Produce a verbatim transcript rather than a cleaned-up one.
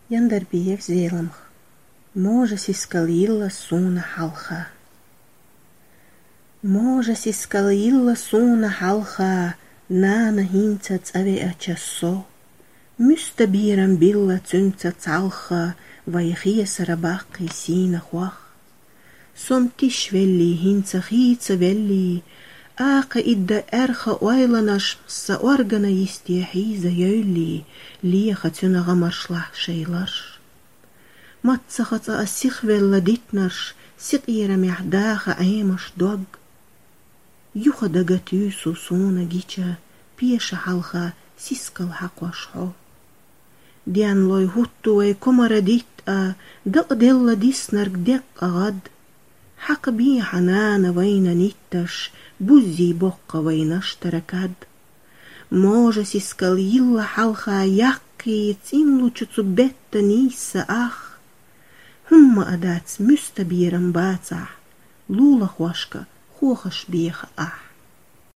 Яндарбиев Зеламха. Можа сискал йилла суна хьалха. Можа сискал йилла суна хьалха, нана хӀинца цӀа веача со. Муьста берам билла цуьнца цхьалха, вай хесара баккхий сийна хох. Со-м тишвеллий, хӀинца хийцавеллий, акха идда аьрха ойланаш са органа йисте хьийза йойиллий, леха цуьнан гӀамаршлахь шайларш. Маццахаца а сихвелла дитнарш, сикъерамехь даха Ӏемаш дог. Юха дага туьйсу суна гича, пеша хьалха сискал хьакхош хьо. Денлой хӀутту вай комара диттӀа, дакъаделла диснарг декъа гӀад. Хьакха бехьа нана вайна нитташ, буззий боккха вай наштара кад. Можа сискал йилла хьалха яккхий цӀинлучу цу бетта нийсса ах. ХӀумма а дац муьста берам бацахь, лулахошка хохаш беха ахь.